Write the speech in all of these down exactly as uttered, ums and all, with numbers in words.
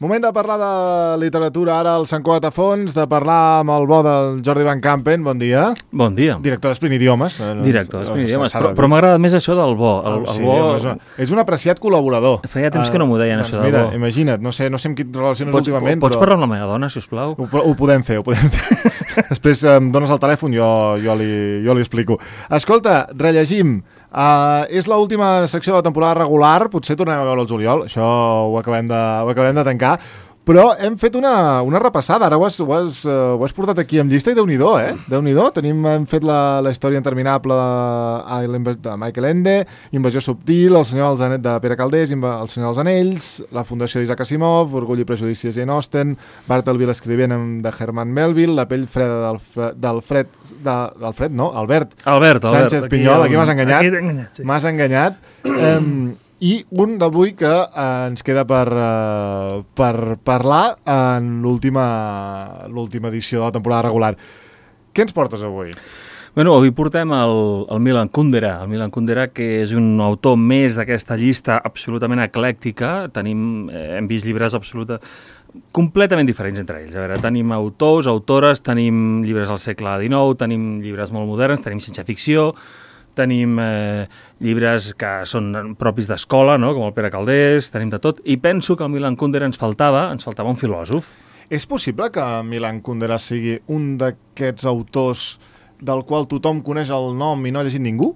Moment de parlar de literatura ara al Sant Cugat a fons, de parlar amb el bo del Jordi Van Campen. Bon dia. Bon dia. Director d'Esprint Idiomes. Director d'Esprint Idiomes, però, però m'agrada més això del bo. El, sí, el bo... és, un, és un apreciat col·laborador. Feia temps uh, que no m'ho deien, doncs això del mira, bo. Imagina't, no sé, no sé amb qui et relaciones pots, últimament, pots però... parlar amb la meva dona, sisplau? Ho, ho podem fer, ho podem fer. Després em dones el telèfon, jo, jo, li, jo li explico. Escolta, rellegim. Uh, és l'última secció de la temporada regular, potser tornem a veure el juliol, això ho acabarem de, ho acabarem de tancar, però hem fet una, una repassada, ara ho has, ho, has, uh, ho has portat aquí amb llista i Déu-n'hi-do, eh? Déu-n'hi-do, tenim, hem fet la, la història interminable de, de Michael Ende, Invasió subtil, El senyor dels Anells de Pere Calders, El senyor dels Anells, La fundació d'Isaac Asimov, Orgull i prejudici de Jane Austen, Bartleby l'escrivent de Herman Melville, La pell freda del, del Fred, de, del Fred, no, Albert, Albert, Albert Sánchez Pinyol, aquí, aquí m'has enganyat, aquí enganyat, sí. m'has enganyat, um, i un d'avui que eh, ens queda per, eh, per parlar en l'última l'última edició de la temporada regular. Què ens portes avui? Bueno, avui portem el, el Milan Kundera, el Milan Kundera, que és un autor més d'aquesta llista absolutament eclèctica. Tenim, eh, hem vist llibres absoluta, completament diferents entre ells. A veure, tenim autors, autores, tenim llibres del segle dinou, tenim llibres molt moderns, tenim ciència-ficció, tenim eh, llibres que són propis d'escola, no? Com el Pere Calders, tenim de tot, i penso que el Milan Kundera ens faltava, ens faltava un filòsof. És possible que Milan Kundera sigui un d'aquests autors del qual tothom coneix el nom i no ha llegit ningú?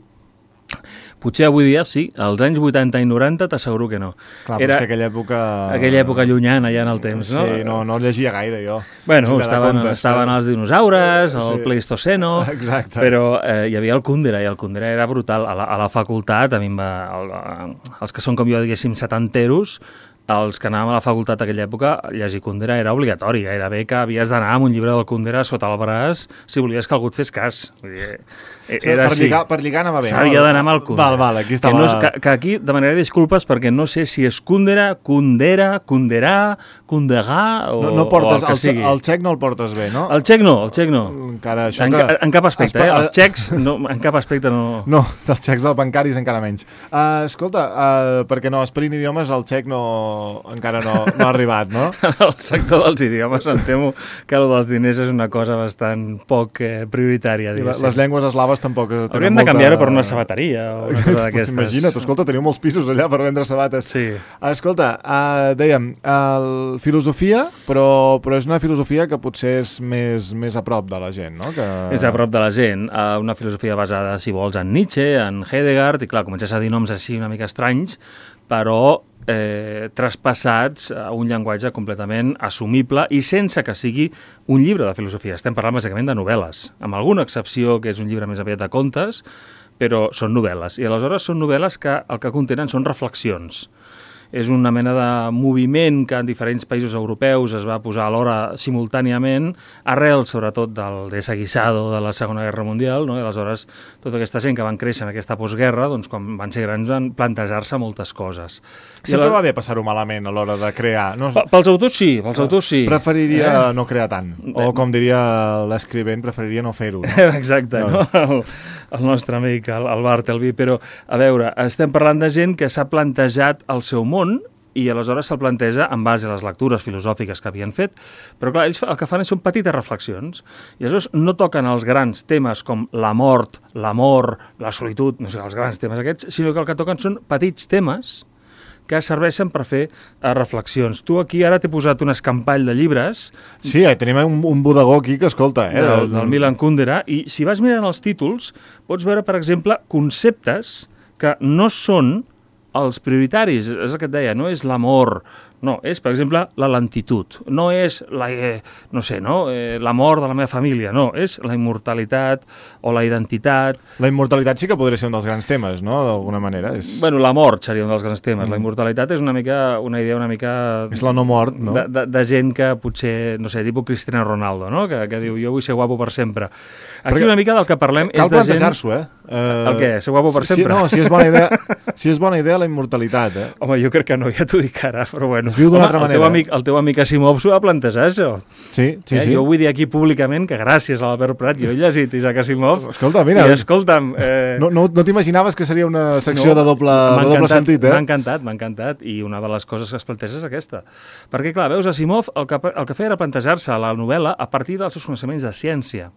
Potser avui dia sí, als anys vuitanta i noranta t'asseguro que no. Clar, Era... però és que aquella època... Aquella època llunyana ja en el temps, no? Sí, no, no llegia gaire jo. Bueno, estaven, contes, estaven eh? els dinosaures, el sí. Pleistoceno, exacte. Però eh, hi havia el Kundera, i el Kundera era brutal. A la, a la facultat, a mi em va... El, els que són com jo, diguéssim, setanteros, els que anàvem a la facultat aquella època, llegir Kundera era obligatori, gairebé que havies d'anar amb un llibre del Kundera sota el braç si volies que algú et fes cas. Vull dir, era per, així. lligar, per lligar anava bé. S'havia d'anar amb el Kundera. Val, val, aquí estava... Que, no és, que, que aquí demanaré disculpes perquè no sé si és Kundera, Kundera, Kunderà, Kunderà o, no, no portes, o el que el, sigui. El txec no el portes bé, no? El txec no, el txec no. Encara això en, que... en cap aspecte, Espa... eh? Els txecs no, en cap aspecte no... No, dels txecs dels bancaris encara menys. Uh, escolta, uh, perquè no, Esprint Idiomes el txec no... encara no, no ha arribat, no? El sector dels idiomes em temo que el dels diners és una cosa bastant poc eh, prioritària. Les, les llengües eslaves tampoc tenen Hauríem molta... de canviar-ho per una sabateria o una cosa d'aquestes. Imagina't, escolta, teniu molts pisos allà per vendre sabates. Sí. Escolta, uh, dèiem, uh, filosofia, però, però és una filosofia que potser és més, més a prop de la gent, no? Que... És a prop de la gent. Uh, una filosofia basada, si vols, en Nietzsche, en Heidegger, i clar, comences a dir noms així una mica estranys, però eh, traspassats a un llenguatge completament assumible i sense que sigui un llibre de filosofia. Estem parlant bàsicament de novel·les, amb alguna excepció que és un llibre més aviat de contes, però són novel·les. I aleshores són novel·les que el que contenen són reflexions. És una mena de moviment que en diferents països europeus es va posar alhora simultàniament, arrel sobretot del desaguisado de la Segona Guerra Mundial, no? I aleshores tota aquesta gent que van créixer en aquesta postguerra, doncs quan van ser grans van plantejar-se moltes coses. Sempre la... va bé passar-ho malament a l'hora de crear. No... Pels autors sí, pels autors sí. Preferiria eh? no crear tant, o com diria l'escrivent, preferiria no fer-ho. No? Exacte, no? no? El, el nostre amic, el, el Bartleby, però a veure, estem parlant de gent que s'ha plantejat el seu món i aleshores se'l planteja en base a les lectures filosòfiques que havien fet, però clar, ells el que fan són petites reflexions, i aleshores no toquen els grans temes com la mort, l'amor, la solitud, no sé, els grans temes aquests, sinó que el que toquen són petits temes que serveixen per fer uh, reflexions. Tu aquí ara t'he posat un escampall de llibres... Sí, eh, tenim un, un bodegó aquí que escolta, eh? Del, del Milan Kundera, i si vas mirant els títols, pots veure, per exemple, conceptes que no són els prioritaris, és el que et deia, no és l'amor, no, és, per exemple, la lentitud, no és la, eh, no sé, no, eh, la mort de la meva família, no, és la immortalitat o la identitat. La immortalitat sí que podria ser un dels grans temes, no?, d'alguna manera. És... Bueno, la mort seria un dels grans temes, mm. La immortalitat és una mica, una idea una mica... És la no mort, no? De, de, de gent que potser, no sé, tipus Cristiano Ronaldo, no?, que, que diu, jo vull ser guapo per sempre. Aquí Perquè una mica del que parlem és de gent... Cal plantejar-s'ho, eh? Uh, el què? Ser guapo per si, sempre? No, si és bona idea, si és bona idea la immortalitat, eh? Home, jo crec que no, ja t'ho dic ara, però bueno, bueno, es viu d'una home, altra el manera. Teu amic, el teu amic Asimov s'ho va plantejar, això. Sí, sí, eh? sí. Jo vull dir aquí públicament que gràcies a l'Albert Prat jo he llegit Isaac Asimov. Escolta, mira... I escolta'm... Eh... No, no, no t'imaginaves que seria una secció no, de doble, de doble sentit, eh? M'ha encantat, m'ha encantat. I una de les coses que es planteja és aquesta. Perquè, clar, veus, Asimov el que, el que feia era plantejar-se la novel·la a partir dels seus coneixements de ciència.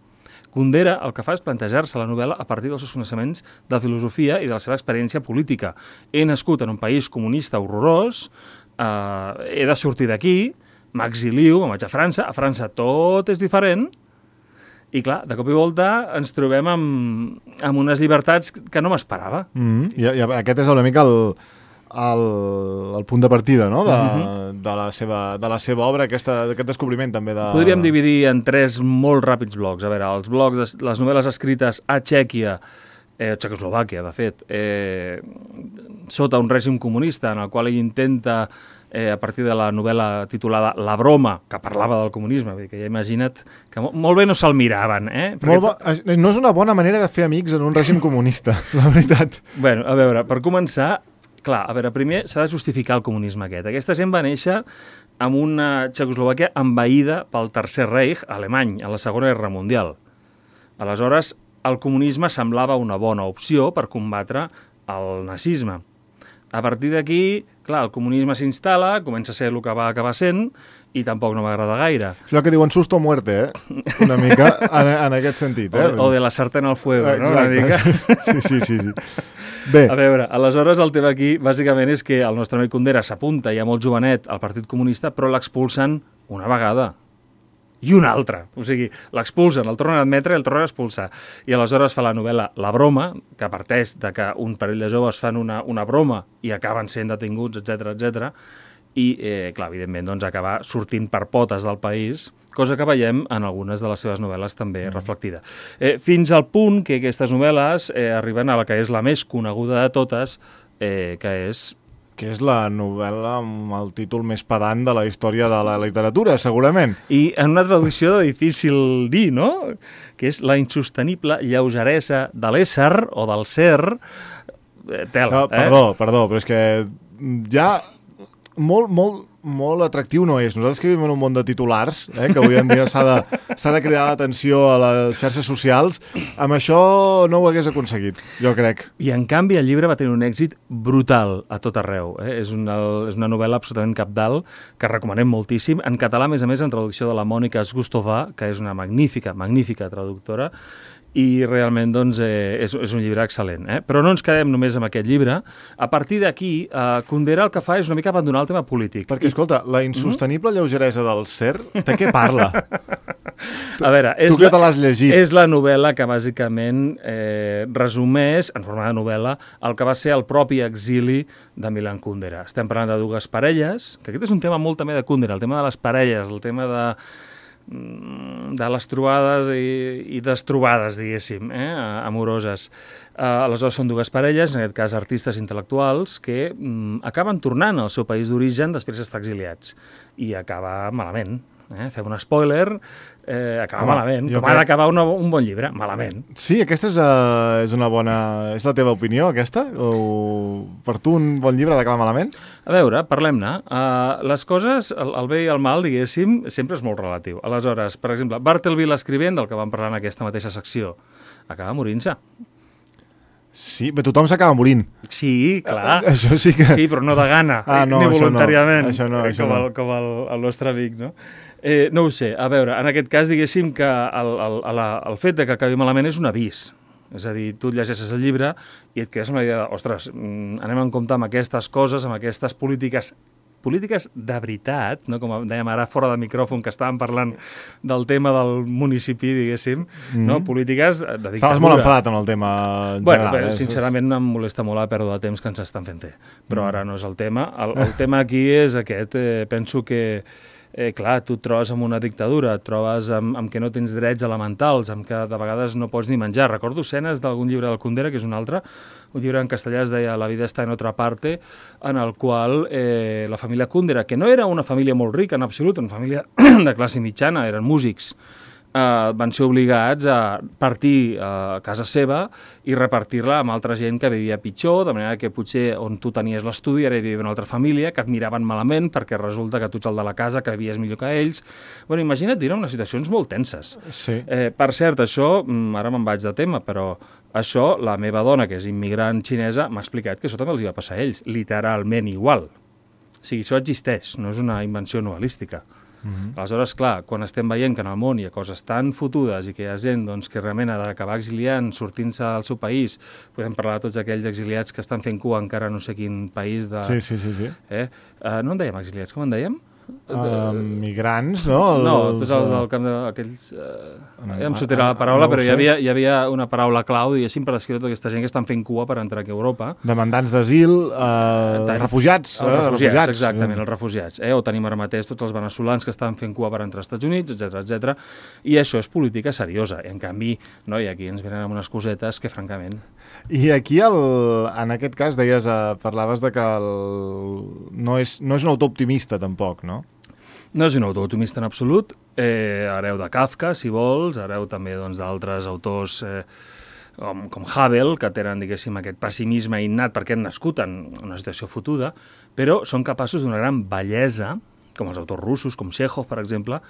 Kundera el que fa és plantejar-se la novel·la a partir dels seus coneixements de filosofia i de la seva experiència política. He nascut en un país comunista horrorós, eh, he de sortir d'aquí, m'exilio, me'n vaig a França, a França tot és diferent, i clar, de cop i volta ens trobem amb, amb unes llibertats que no m'esperava. Mm-hmm. I, I aquest és una mica el, el, el punt de partida, no?, de, mm-hmm. de, la, seva, de la seva obra, aquesta, aquest descobriment també de... Podríem dividir en tres molt ràpids blocs. A veure, els blocs, les novel·les escrites a Txèquia, eh, Txecoslovàquia, de fet, eh, sota un règim comunista, en el qual ell intenta, eh, a partir de la novel·la titulada La broma, que parlava del comunisme, vull dir que ja imagina't que molt, molt bé no se'l miraven, eh? Perquè... Molt bo... No és una bona manera de fer amics en un règim comunista, la veritat. Bueno, a veure, per començar, clar, a veure, primer s'ha de justificar el comunisme aquest. Aquesta gent va néixer amb una Txecoslovàquia envaïda pel Tercer Reich alemany, a la Segona Guerra Mundial. Aleshores, el comunisme semblava una bona opció per combatre el nazisme. A partir d'aquí, clar, el comunisme s'instal·la, comença a ser el que va acabar sent, i tampoc no m'agrada gaire. És allò que diuen susto o muerte, eh? Una mica en, en aquest sentit, eh? O de, o de la sartén al fuego, Exacte. no? Una mica. Sí, sí, sí, sí. Bé. A veure, aleshores el tema aquí, bàsicament, és que el nostre amic Kundera s'apunta ja molt jovenet al Partit Comunista, però l'expulsen una vegada i una altra. O sigui, l'expulsen, el tornen a admetre i el tornen a expulsar. I aleshores fa la novel·la La broma, que parteix de que un parell de joves fan una, una broma i acaben sent detinguts, etcètera, etcètera. I, eh, clar, evidentment, doncs, acabar sortint per potes del país, cosa que veiem en algunes de les seves novel·les també mm. reflectida. Eh, fins al punt que aquestes novel·les eh, arriben a la que és la més coneguda de totes, eh, que és... que és la novel·la amb el títol més pedant de la història de la literatura, segurament. I en una traducció de difícil dir, no?, que és la insostenible lleugeresa de l'ésser o del ser. Eh, tela, no, perdó, eh? perdó, però és que ja molt, molt, molt atractiu no és. Nosaltres que vivim en un món de titulars, eh, que avui en dia s'ha de, s'ha de cridar l'atenció a les xarxes socials, amb això no ho hagués aconseguit, jo crec. I en canvi el llibre va tenir un èxit brutal a tot arreu. Eh? És, una, és una novel·la absolutament cabdal que recomanem moltíssim. En català, a més a més, en traducció de la Mònica Sgustová, que és una magnífica, magnífica traductora, i realment doncs, eh, és, és un llibre excel·lent. Eh? Però no ens quedem només amb aquest llibre. A partir d'aquí, eh, Kundera el que fa és una mica abandonar el tema polític. Perquè, escolta, la insostenible mm-hmm. lleugeresa del ser, de què parla? A veure, és tu que te l'has llegit. És la novel·la que bàsicament eh, resumeix, en forma de novel·la, el que va ser el propi exili de Milan Kundera. Estem parlant de dues parelles, que aquest és un tema molt també de Kundera, el tema de les parelles, el tema de... de les trobades i, i destrobades, diguéssim, eh, amoroses. Uh, aleshores són dues parelles, en aquest cas artistes intel·lectuals, que mm, acaben tornant al seu país d'origen després d'estar exiliats. I acaba malament. Eh? Fem un spoiler, eh, acaba Home, malament. Com crec... ha d'acabar un, un bon llibre? Malament. Sí, aquesta és, uh, és una bona... És la teva opinió, aquesta? O per tu un bon llibre ha d'acabar malament? A veure, parlem-ne. Uh, les coses, el, el bé i el mal, diguéssim, sempre és molt relatiu. Aleshores, per exemple, Bartleby l'escrivent, del que vam parlar en aquesta mateixa secció, acaba morint-se. Sí, però tothom s'acaba morint. Sí, clar. Uh, això sí que... Sí, però no de gana, ah, no, ni voluntàriament, això no, això com, no. el, com el, el nostre amic, no? Eh, no ho sé, a veure, en aquest cas diguéssim que el, el, el, el fet de que acabi malament és un avís. És a dir, tu llegeixes el llibre i et quedes amb la idea de, ostres, anem en compte amb aquestes coses, amb aquestes polítiques polítiques de veritat, no? Com dèiem ara fora de micròfon, que estàvem parlant del tema del municipi, diguéssim, mm-hmm. no? Polítiques de dictadura. Estaves molt enfadat amb el tema en bueno, general. Bé, eh? Sincerament em molesta molt la pèrdua de temps que ens estan fent fer, però mm. ara no és el tema. El, el tema aquí és aquest, eh, penso que Eh, clar, tu et trobes amb una dictadura, et trobes amb, amb que no tens drets elementals, amb que de vegades no pots ni menjar. Recordo escenes d'algun llibre del Kundera, que és un altre, un llibre en castellà es deia La vida està en otra parte, en el qual eh, la família Kundera, que no era una família molt rica en absolut, una família de classe mitjana, eren músics, eh, van ser obligats a partir a casa seva i repartir-la amb altra gent que vivia pitjor, de manera que potser on tu tenies l'estudi ara hi vivia una altra família que et miraven malament perquè resulta que tu ets el de la casa, que vivies millor que ells. Bueno, imagina't dir unes situacions molt tenses. Sí. Eh, per cert, això, ara me'n vaig de tema, però això, la meva dona, que és immigrant xinesa, m'ha explicat que això també els hi va passar a ells, literalment igual. O sigui, això existeix, no és una invenció novel·lística. Mm-hmm. Aleshores, clar, quan estem veient que en el món hi ha coses tan fotudes i que hi ha gent doncs, que realment ha d'acabar exiliant, sortint-se del seu país, podem parlar de tots aquells exiliats que estan fent cua encara no sé quin país de... Sí, sí, sí. sí. Eh? Uh, no en dèiem exiliats, com en dèiem? Uh, migrants, no? Els, no, tots els del camp d'aquells... Uh, ja em sortirà la paraula, no però hi havia, hi havia una paraula clau, diguéssim, per descriure tota aquesta gent que estan fent cua per entrar aquí a Europa. Demandants d'asil, uh, refugiats. Els eh, refugiats, refugiats, exactament, els refugiats. Eh? O tenim ara mateix tots els veneçolans que estan fent cua per entrar als Estats Units, etcètera, etcètera. I això és política seriosa. I en canvi, no, i aquí ens venen amb unes cosetes que, francament... I aquí, el, en aquest cas, deies, uh, parlaves de que el, no, és, no és un autor optimista, tampoc, no? No és un autor optimista en absolut. Eh, hereu de Kafka, si vols, hereu també doncs, d'altres autors eh, com, com Havel, que tenen, diguéssim, aquest pessimisme innat perquè han nascut en una situació fotuda, però són capaços d'una gran bellesa, com els autors russos, com Chekhov, per exemple,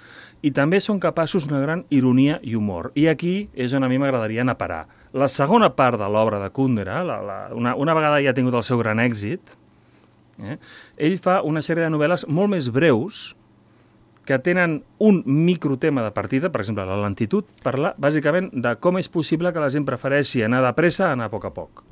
i també són capaços d'una gran ironia i humor. I aquí és on a mi m'agradaria anar a parar. La segona part de l'obra de Kundera, la, la, una, una vegada ja ha tingut el seu gran èxit, eh, ell fa una sèrie de novel·les molt més breus, que tenen un microtema de partida, per exemple, la lentitud, parla bàsicament de com és possible que la gent prefereixi anar de pressa a anar a poc a poc.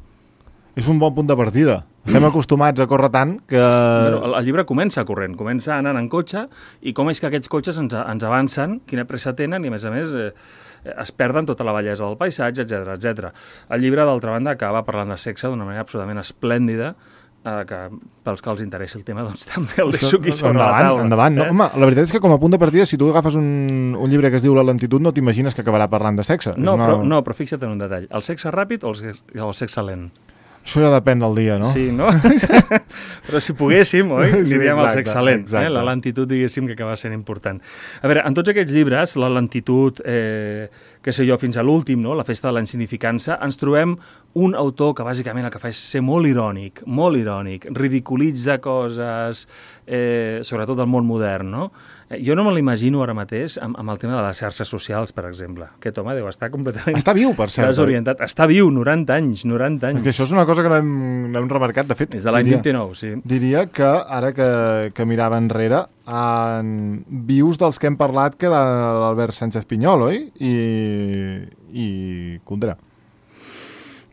És un bon punt de partida. Estem acostumats a córrer tant que... Però el, el llibre comença corrent, comença anant en cotxe, i com és que aquests cotxes ens, ens avancen, quina pressa tenen, i a més a més eh, es perden tota la bellesa del paisatge, etcètera, etcètera. El llibre, d'altra banda, acaba parlant de sexe d'una manera absolutament esplèndida, eh, que pels que els interessi el tema, doncs també el deixo aquí sobre endavant, la taula. Endavant, no? Eh? Home, la veritat és que com a punt de partida, si tu agafes un, un llibre que es diu La lentitud, no t'imagines que acabarà parlant de sexe. No, és una... però, no, però fixa't en un detall. El sexe ràpid o el sexe, el sexe lent? Això ja depèn del dia, no? Sí, no? Però si poguéssim, oi? Sí, Diríem el exacte, sexe lent, exacte. eh? La lentitud, diguéssim, que acaba sent important. A veure, en tots aquests llibres, la lentitud, eh, que sé jo, fins a l'últim, no? La festa de la insignificança, ens trobem un autor que bàsicament el que fa és ser molt irònic, molt irònic, ridiculitza coses, eh, sobretot del món modern, no? Jo no me l'imagino ara mateix amb, amb el tema de les xarxes socials, per exemple. Aquest home deu estar completament... Està viu, per cert. Desorientat. Està viu, noranta anys, noranta anys. És que això és una cosa que no hem, no hem remarcat, de fet. És de l'any diria, vint-i-nou, sí. Diria que, ara que, que mirava enrere, en vius dels que hem parlat que de l'Albert Sánchez Pinyol, oi? I, i Kundera.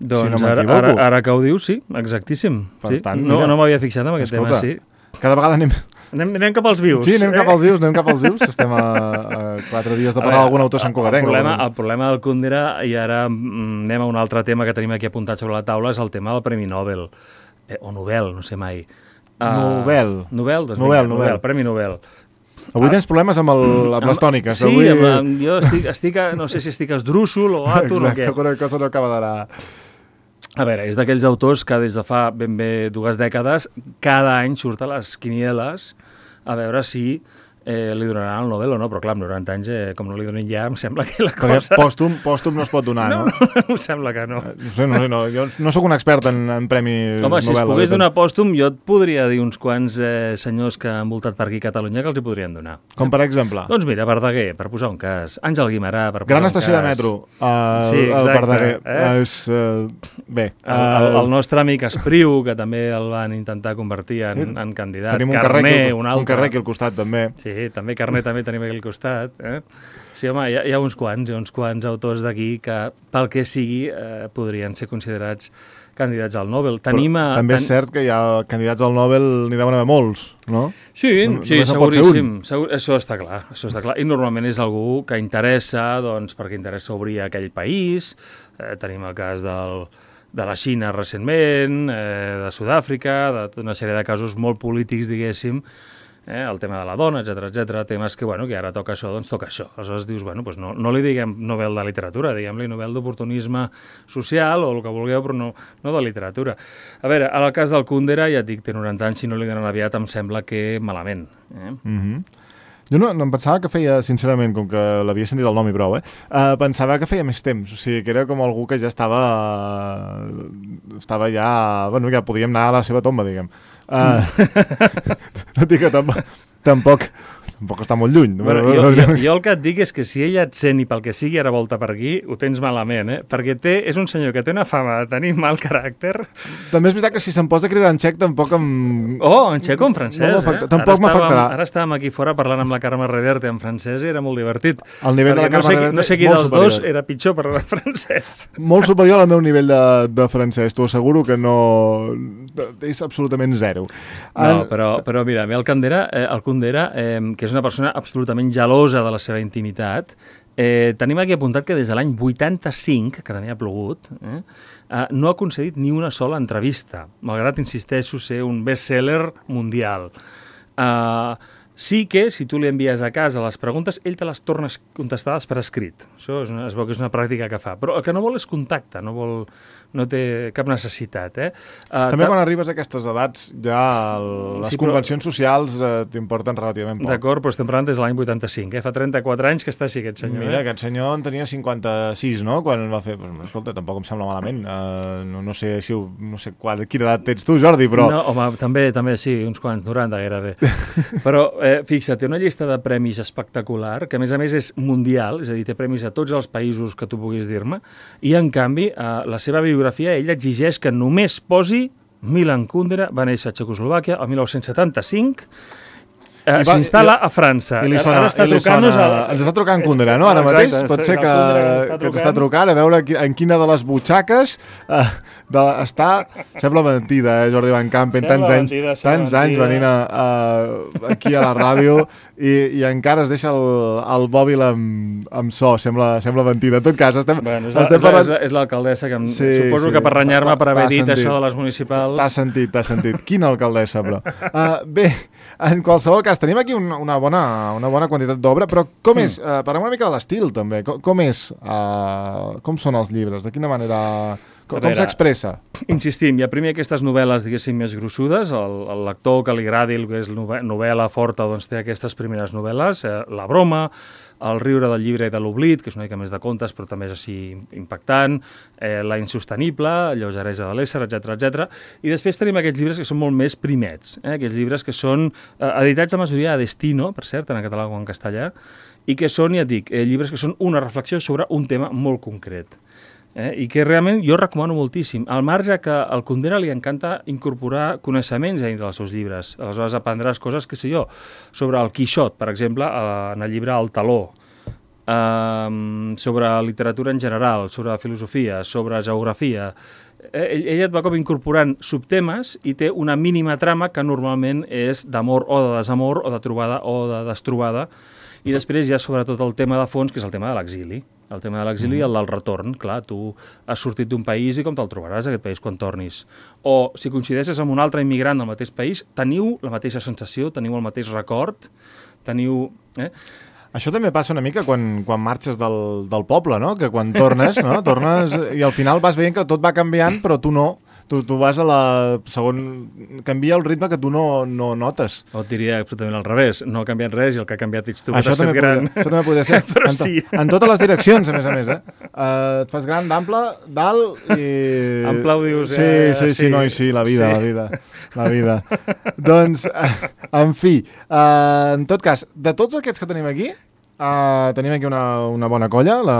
Doncs si no ara, ara, ara que ho dius, sí, exactíssim. Per sí. tant, no mira, no m'havia fixat en aquest escolta, tema, sí. Cada vegada anem... Anem, anem cap als vius. Sí, anem eh? cap als vius, anem cap als vius. Estem a, a quatre dies de parlar d'algun autor santcugatenc. El problema, el problema del Kundera, i ara mm, anem a un altre tema que tenim aquí apuntat sobre la taula, és el tema del Premi Nobel. Eh, o Nobel, no sé mai. Uh, Nobel. Nobel, doncs Nobel, vinga, Nobel. Nobel, Premi Nobel. Avui tens problemes amb, el, amb les tòniques. Sí, Avui... amb, amb, jo estic, estic, a, no sé si estic esdrúxol o àtur o què. Exacte, alguna cosa no acaba d'anar... A veure, és d'aquells autors que des de fa ben bé dues dècades cada any surt a les quinieles a veure si eh, li donaran el Nobel o no, però clar, amb noranta anys, eh, com no li donin ja, em sembla que la Perquè cosa... pòstum, pòstum no es pot donar, no? no? No, no, em sembla que no. No sé, no sé, no. Jo no sóc un expert en, en premis Home, Nobel. si es pogués donar pòstum, jo et podria dir uns quants eh, senyors que han voltat per aquí a Catalunya que els hi podrien donar. Com per exemple? Doncs mira, Verdaguer, per posar un cas. Àngel Guimerà, per posar Gran un estació cas. de metro. Uh, Sí, el exacte, Verdaguer. eh? És, uh, bé. El, el, el nostre amic Espriu, que també el van intentar convertir en, en candidat. Tenim un Carné, carrer, aquí, un altre. un carrer aquí al costat, també. Sí, també Carné també tenim aquí al costat. Eh? Sí, home, hi ha, hi ha uns quants, hi ha uns quants autors d'aquí que, pel que sigui, eh, podrien ser considerats candidats al Nobel. Tenim a, També és ten... cert que hi ha candidats al Nobel, n'hi deuen haver molts, no? Sí, No- sí, només en pot ser seguríssim. Segur, això està clar, això està clar. I normalment és algú que interessa, doncs, perquè interessa obrir aquell país. Eh, tenim el cas del, de la Xina recentment, eh, de Sud-àfrica, d'una sèrie de casos molt polítics, diguéssim, eh, el tema de la dona, etcètera, etcètera, temes que, bueno, que ara toca això, doncs toca això. Aleshores dius, bueno, doncs no, no li diguem Nobel de literatura, diguem-li Nobel d'oportunisme social o el que vulgueu, però no, no de literatura. A veure, en el cas del Kundera, ja et dic, té noranta anys, si no li donen aviat em sembla que malament. Eh? Mm-hmm. Jo no, no em pensava que feia, sincerament, com que l'havia sentit el nom i prou, eh? Uh, pensava que feia més temps, o sigui, que era com algú que ja estava... Uh, estava ja... Bueno, ja podíem anar a la seva tomba, diguem. Uh, no dic que tampoc... tampoc tampoc està molt lluny. Bueno, jo, jo, jo el que et dic és que si ella et sent i pel que sigui ara volta per aquí, ho tens malament, eh? Perquè té, és un senyor que té una fama de tenir mal caràcter. També és veritat que si se'm posa a cridar en xec tampoc em... Oh, en xec o en francès, no eh? Tampoc m'afectarà. Ara estàvem aquí fora parlant amb la Carme Reverte en francès i era molt divertit. El nivell de la Carme no sé, Reverte no sé qui dels superior. dos era pitjor parlar en francès. Molt superior al meu nivell de, de francès, t'ho asseguro que no... és absolutament zero. No, però, però mira, a mi el Cundera, eh, el Cundera eh, que és una persona absolutament gelosa de la seva intimitat, eh, tenim aquí apuntat que des de l'any vuitanta-cinc, que també ha plogut, eh, eh, no ha concedit ni una sola entrevista, malgrat, insisteixo, ser un best-seller mundial. Eh, sí que, si tu li envies a casa les preguntes, ell te les torna contestades per escrit. Això és una, es veu que és una pràctica que fa. Però el que no vol és contacte, no vol... no té cap necessitat, eh? Uh, També quan arribes a aquestes edats ja el, les sí, convencions però... socials eh, t'importen relativament poc. D'acord, però estem parlant des de l'any vuitanta-cinc, eh? Fa trenta-quatre anys que està així aquest senyor. Mira, eh? aquest senyor en tenia cinquanta-sis, no?, quan va fer... Pues, escolta, tampoc em sembla malament. Uh, no, no sé si... No sé qual, quina edat tens tu, Jordi, però... No, home, també, també sí, uns quants, noranta gairebé. Però, eh, fixa't, té una llista de premis espectacular, que a més a més és mundial, és a dir, té premis a tots els països que tu puguis dir-me, i en canvi, eh, la seva biografia ell exigeix que només posi Milan Kundera, va néixer a Txecoslovàquia el mil nou-cents setanta-cinc, eh, s'instal·la a França. I li sona, i li sona, el... ens està trucant Kundera, no? Ara mateix Exacte, pot ser que, que ens està trucant a veure en quina de les butxaques eh, de, està... Sembla mentida, eh, Jordi Van Campen, tants anys, mentida, tants anys venint a, a, aquí a la ràdio i, i encara es deixa el, el mòbil amb, amb so, sembla, sembla mentida. En tot cas, estem... Bueno, és, estem parlant... és, és l'alcaldessa que em, sí, suposo sí, que per renyar-me per haver dit sentit. Això de les municipals... T'ha sentit, t'ha sentit. Quina alcaldessa, però. Uh, bé, en qualsevol cas, tenim aquí una, una, bona, una bona quantitat d'obra, però com és? Uh, parlem una mica de l'estil, també. Com, com és? Uh, com són els llibres? De quina manera... Com, com s'expressa? Insistim, hi ha primer aquestes novel·les, diguéssim, més grossudes. El, el lector que li agradi el que és novel·la forta, doncs té aquestes primeres novel·les. Eh, la broma, el riure del llibre i de l'oblit, que és una mica més de contes, però també és així impactant, eh, la insostenible, lleugeresa de l'ésser, etcètera, etcètera. I després tenim aquests llibres que són molt més primets, eh, aquests llibres que són eh, editats la majoria a Destino, per cert, en català o en castellà, i que són, ja et dic, eh, llibres que són una reflexió sobre un tema molt concret. Eh, i que realment jo recomano moltíssim, al marge que al Kundera li encanta incorporar coneixements dintre dels seus llibres. Aleshores aprendràs coses, que sé jo, sobre el Quixot, per exemple, en el llibre El Taló, eh, sobre literatura en general, sobre filosofia, sobre geografia. Eh, ell, ell et va com incorporant subtemes i té una mínima trama que normalment és d'amor o de desamor, o de trobada o de destrobada. I després hi ha sobretot el tema de fons, que és el tema de l'exili. El tema de l'exili i el del retorn. Clar, tu has sortit d'un país i com te'l trobaràs, aquest país, quan tornis? O, si coincideixes amb un altre immigrant del mateix país, teniu la mateixa sensació, teniu el mateix record, teniu... Eh? Això també passa una mica quan, quan marxes del, del poble, no? Que quan tornes, no? Tornes i al final vas veient que tot va canviant, però tu no. Tu, tu vas a la... segon... canvia el ritme que tu no, no notes. O et diria absolutament al revés. No ha canviat res i el que ha canviat ets tu, que t'has fet gran. Podria, això també podria ser. Però en, to, sí. En totes les direccions, a més a més, eh? Uh, et fas gran d'ample, dalt i... Ample ho dius, sí, eh? Sí, sí, sí, no, i sí, la vida, sí. la vida. La vida. Doncs, uh, en fi, uh, en tot cas, de tots aquests que tenim aquí, Uh, tenim aquí una, una bona colla, la,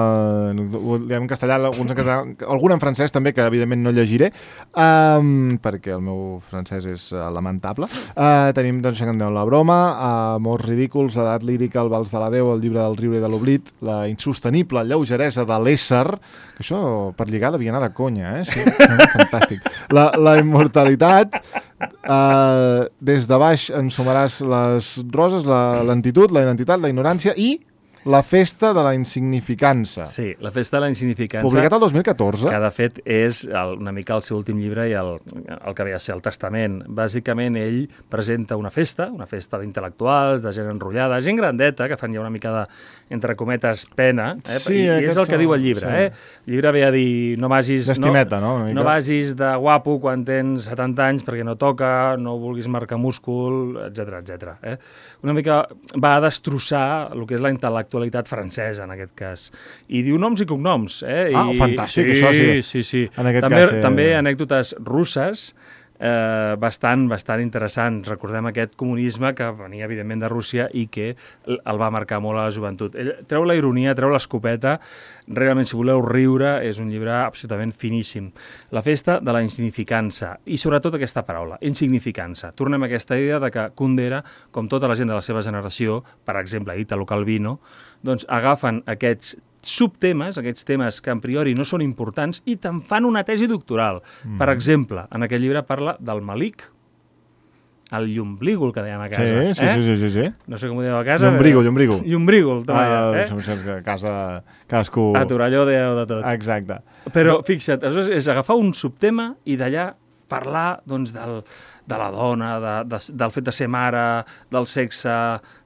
ho diem en castellà, alguns en castellà, algun en francès també, que evidentment no llegiré, um, perquè el meu francès és uh, lamentable. Uh, tenim, doncs, La broma, uh, Amors ridículs, l'edat lírica, el vals de la Déu, el llibre del riure i de l'oblit, la insostenible lleugeresa de l'ésser, que això per lligar devia anar de conya, eh? Sí, fantàstic. La, la immortalitat, uh, des de baix ensumaràs les roses, la lentitud, la identitat, la ignorància i La festa de la insignificança. Sí, La festa de la insignificança. Publicat el dos mil catorze. Que, de fet, és el, una mica el seu últim llibre i el, el que ve a ser el testament. Bàsicament, ell presenta una festa, una festa d'intel·lectuals, de gent enrotllada, gent grandeta, que fan ja una mica de, entre cometes, pena. Eh? Sí, I, I és el que diu el llibre. Sí. Eh? El llibre ve a dir, no vagis... D'estimeta, no? No, no vagis de guapo quan tens setanta anys perquè no toca, no vulguis marcar múscul, etcètera, etcètera. Eh? Una mica va a destrossar el que és la intel·lectualitat francesa, en aquest cas. I diu noms i cognoms. Eh? I... Ah, fantàstic, sí, això sí. Sí, sí. En aquest també, cas, eh... també anècdotes russes, eh, bastant, bastant interessants. Recordem aquest comunisme que venia, evidentment, de Rússia i que el va marcar molt a la joventut. Ell treu la ironia, treu l'escopeta. Realment, si voleu riure, és un llibre absolutament finíssim. La festa de la insignificança. I, sobretot, aquesta paraula, insignificança. Tornem a aquesta idea de que Kundera, com tota la gent de la seva generació, per exemple, Italo Calvino, doncs agafen aquests subtemes, aquests temes que a priori no són importants i te'n fan una tesi doctoral. Mm. Per exemple, en aquest llibre parla del malic, el llomblígol, que dèiem a casa. Sí, sí, eh? sí, sí, sí. No sé com ho dèiem a casa. Llombrígol, llombrígol. Llombrígol, també, uh, eh? Som que a casa cadascú... A Torelló dèieu de tot. Exacte. Però, fixa't, és agafar un subtema i d'allà parlar, doncs, del, de la dona, de, de, del fet de ser mare, del sexe,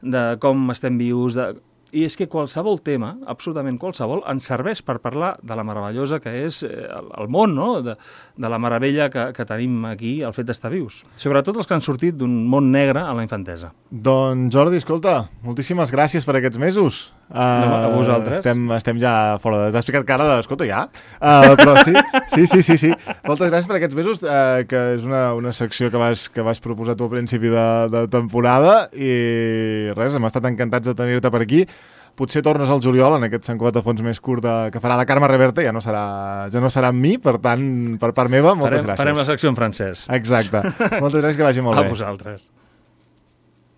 de com estem vius... De... I és que qualsevol tema, absolutament qualsevol, ens serveix per parlar de la meravellosa que és el, el món, no? de, de la meravella que, que tenim aquí, el fet d'estar vius. Sobretot els que han sortit d'un món negre a la infantesa. Doncs Jordi, escolta, moltíssimes gràcies per aquests mesos. Uh, no, a vosaltres. Estem, estem ja fora de... T'has ficat cara de... Escolta, ja? Uh, però sí, sí, sí, sí, sí. Moltes gràcies per aquests mesos, uh, que és una, una secció que vas, que vas proposar tu al principi de, de temporada i res, hem estat encantats de tenir-te per aquí. Potser tornes al juliol en aquest Sant Cugat de Fons més curt de, que farà la Carme Reverte, ja no serà, ja no serà amb mi, per tant, per part meva, moltes farem, gràcies. Farem la secció en francès. Exacte. Moltes gràcies, que vagi molt a bé. A vosaltres.